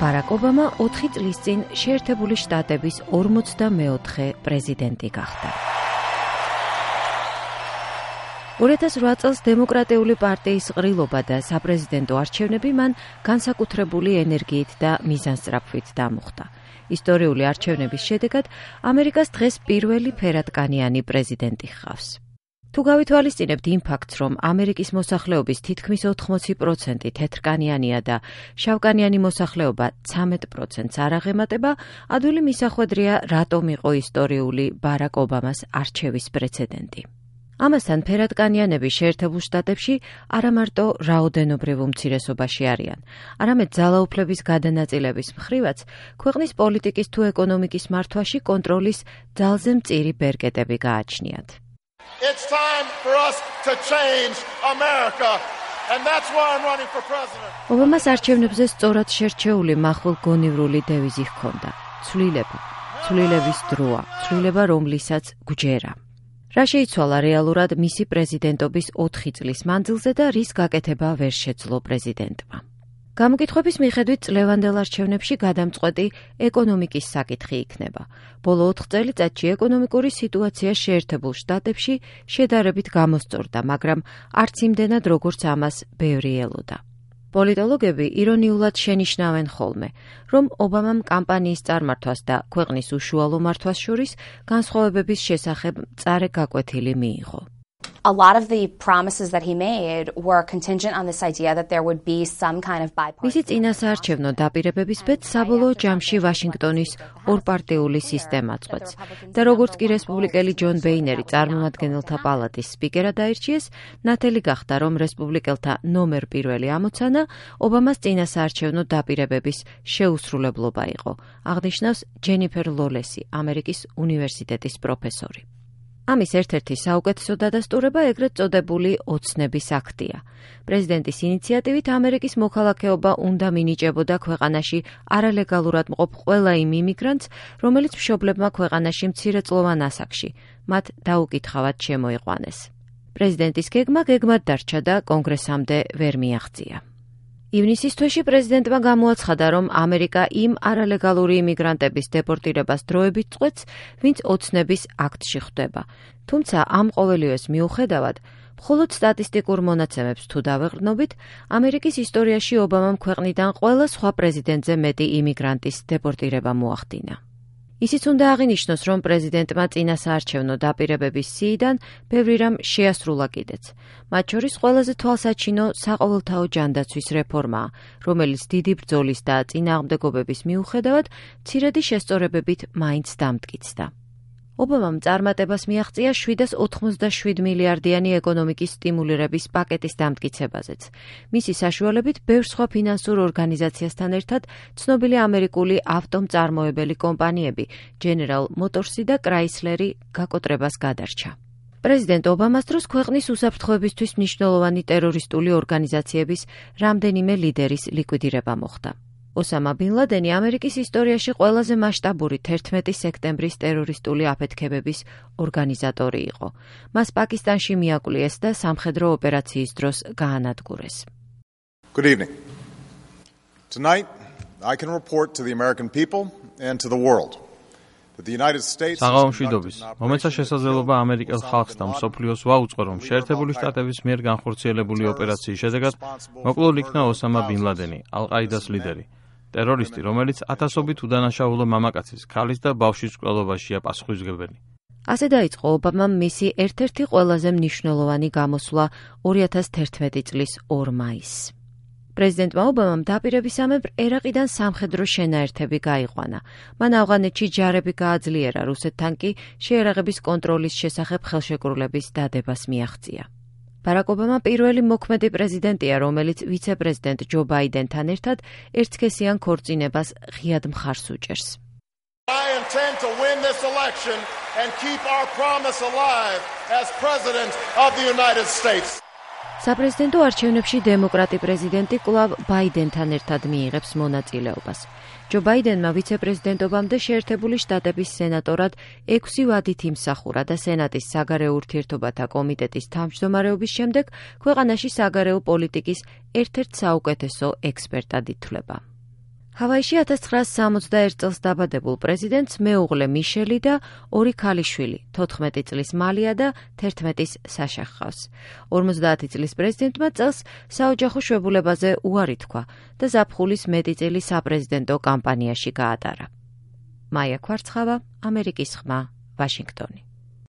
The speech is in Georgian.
ბარაკ ობამა 4 წლის წინ შეერთებული შტატების 44 პრეზიდენტი გახდა. 2008 წელს დემოკრატიული პარტიის ყრილობა და საპრეზიდენტო არჩევნები მან განსაკუთრებული ენერგიით და მიზანსწრაფვით დამუხტა. ისტორიული არჩევნების შედეგად ამერიკას დღეს პირველი ფერადკანიანი პრეზიდენტი ჰყავს. თუ გავითვალისწინებთ იმ ფაქტს, რომ ამერიკის მოსახლეობის თითქმის 80% თეთრკანიანია და შავკანიანი მოსახლეობა 13%-ს არ აღემატება, ადვილი მისახვედრია, რატომ იყო ისტორიული ბარაკ ობამას არჩევის პრეცედენტი. ამასთან ფერადკანიანები შეერთებულ შტატებში არა მარტო რაოდენობრივ უმცირესობაში არიან, არამედ ძალაუფლების გადანაწილების მხრივაც ქვეყნის პოლიტიკის თუ ეკონომიკის მართვაში კონტროლის ძალზე მწირი ბერკეტები გააჩნიათ. It's time for us to change America, and that's why I'm running for president. ობამას არჩევნებზე სწორად შერჩეული מחვილ გონივრული დევიზი ჰქონდა: ცვლილება, ცვლილების დროა, ცვლილება რომლისაც გვჯერა. რა შეიცვალა რეალურად მისი პრეზიდენტობის 4 წლის მანძილზე და რის გაკეთება ვერ შეძლო პრეზიდენტმა. გამოკითხვების მიხედვით წლევანდელ არჩევნებში გადამწყვეტი ეკონომიკის საკითხი იქნება. ბოლო 4 წელიწადში ეკონომიკური სიტუაცია შეერთებულ შტატებში შედარებით გამოსწორდა, მაგრამ არც იმდენად, როგორც ამას ბევრი ელოდა. პოლიტოლოგები ირონიულად შენიშნავენ ხოლმე, რომ ობამამ კამპანიის წარმართვას და ქვეყნის უშუალო მართვას შორის განსხვავებების შესახებ მწარე გაკვეთილი მიიღო. A lot of the promises that he made were contingent on this idea that there would be some kind of bipartisan. მისი წინასაარჩევნო დაპირებების ბედს საბოლოო ჯამში ვაშინგტონის ორპარტიული სისტემა წყვეტს და როგორც კი რესპუბლიკელი ჯონ ბეინერი წარმომადგენელთა პალატის სპიკერად აირჩიეს, ნათელი გახდა, რომ რესპუბლიკელთა ნომერ პირველი ამოცანა ობამას წინასაარჩევნო დაპირებების შეუსრულებლობა იყო, აღნიშნავს ჯენიფერ ლოლესი, ამერიკის უნივერსიტეტის პროფესორი. ამის ერთ-ერთი საუკეთესო დადასტურება ეგრეთ წოდებული ოცნების აქტია. პრეზიდენტის ინიციატივით ამერიკის მოქალაქეობა უნდა მინიჭებოდა ქვეყანაში არალეგალურად მყოფ ყველა იმ იმიგრანტს, რომელიც მშობლებმა ქვეყანაში მცირეწლოვან ასაკში მათ დაუკითხავად შემოიყვანეს. პრეზიდენტის გეგმად დარჩა და კონგრესამდე ვერ მიაღწია. ივნისის თვეში პრეზიდენტმა გამოაცხადა, რომ ამერიკა იმ არალეგალური იმიგრანტების დეპორტირებას დროებით წყვეტს, ვინც ოცნების აქტში ხვდება. თუმცა ამ ყოველივეს მიუხედავად, მხოლოდ სტატისტიკურ მონაცემებს თუ დავეყრდნობით, ამერიკის ისტორიაში ობამამ ქვეყნიდან ყველა სხვა პრეზიდენტზე მეტი იმიგრანტის დეპორტირება მოახდინა. ისიც უნდა აღინიშნოს, რომ პრეზიდენტმა წინასაარჩევნო დაპირებების სიიდან ბევრი რამ შეასრულა კიდეც. მათ შორის ყველაზე თვალსაჩინო საყოველთაო ჯანდაცვის რეფორმაა, რომელიც დიდი ბრძოლის და წინააღმდეგობების მიუხედავად მცირედი შესწორებებით მაინც დამტკიცდა. ობამამ წარმატებას მიაღწია 787 მილიარდიანი ეკონომიკის სტიმულირების პაკეტის დამტკიცებაზეც. მისი საშუალებით ბევრ სხვა ფინანსურ ორგანიზაციასთან ერთად ცნობილი ამერიკული ავტომწარმოებელი კომპანიები, General Motors-ი და Chrysler-ი გაკოტრებას გადარჩა. პრეზიდენტ ობამას დროს ქვეყნის უსაფრთხოებისთვის მნიშვნელოვანი ტერორისტული ორგანიზაციების რამდენიმე ლიდერის ლიკვიდირება მოხდა. ოსამა ბინ ლადენი ამერიკის ისტორიაში ყველაზე მასშტაბური 11 სექტემბრის ტერორისტული აფეთქებების ორგანიზატორი იყო. მას პაკისტანში მიაკვლიეს და სამხედრო ოპერაციის დროს გაანადგურეს. Good evening. Tonight, I can report to the American people and to the world that the United States საღამომშვიდობის მომეცა შესაძლებლობა ამერიკელ ხალხს და მსოფლიოს ვაუწყო, რომ შეერთებული შტატების მიერ განხორციელებული ოპერაციის შედეგად მოკლულ იქნა ოსამა ბინ ლადენი, ალ-ყაიდას ლიდერი. ტერორისტი, რომელიც ათასობით უდანაშაულო მამაკაცის, ქალის და ბავშვის მკვლელობაშია პასუხისმგებელი. ასე დაიწყო ობამამ მისი ერთ-ერთი ყველაზე მნიშვნელოვანი გამოსვლა 2011 წლის 2 მაისს. პრეზიდენტმა ობამამ დაპირებისამებრ ერაყიდან სამხედრო შენაერთები გაიყვანა. მან ავღანეთში ჯარები გააძლიერა, რუსეთთან კი შეიარაღების კონტროლის შესახებ ხელშეკრულების დადებას მიაღწია. ბარაკ ობამა პირველი მოქმედი პრეზიდენტია, რომელიც ვიცე-პრეზიდენტ ჯო ბაიდენთან ერთად ერთსქესიან ქორწინებას ღიად მხარს უჭერს. I intend to win this election and keep our promise alive as president of the United States. საპრეზიდენტო არჩევნებში დემოკრატი პრეზიდენტი კვლავ ბაიდენთან ერთად მიიღებს მონაწილეობას. ჯო ბაიდენმა ვიცე-პრეზიდენტობამდე შეერთებული შტატების სენატორად 6 ვადით იმსახურა და სენატის საგარეო ურთიერთობათა კომიტეტის თავმჯდომარეობის შემდეგ ქვეყანაში საგარეო პოლიტიკის ერთ-ერთ საუკეთესო ექსპერტად ითვლება. ჰავაიში 1961 წელს დაბადებულ პრეზიდენტს მეუღლე მიშელი და 2 ქალიშვილი, 14 წლის მალია და 11-ის საშა ჰყავს. 50 წლის პრეზიდენტმა წელს საოჯახო შვებულებაზე უარი თქვა და ზაფხულის მეტი წელი საპრეზიდენტო კამპანიაში გაატარა. მაია ქვარცხავა, ამერიკის ხმა, ვაშინგტონი.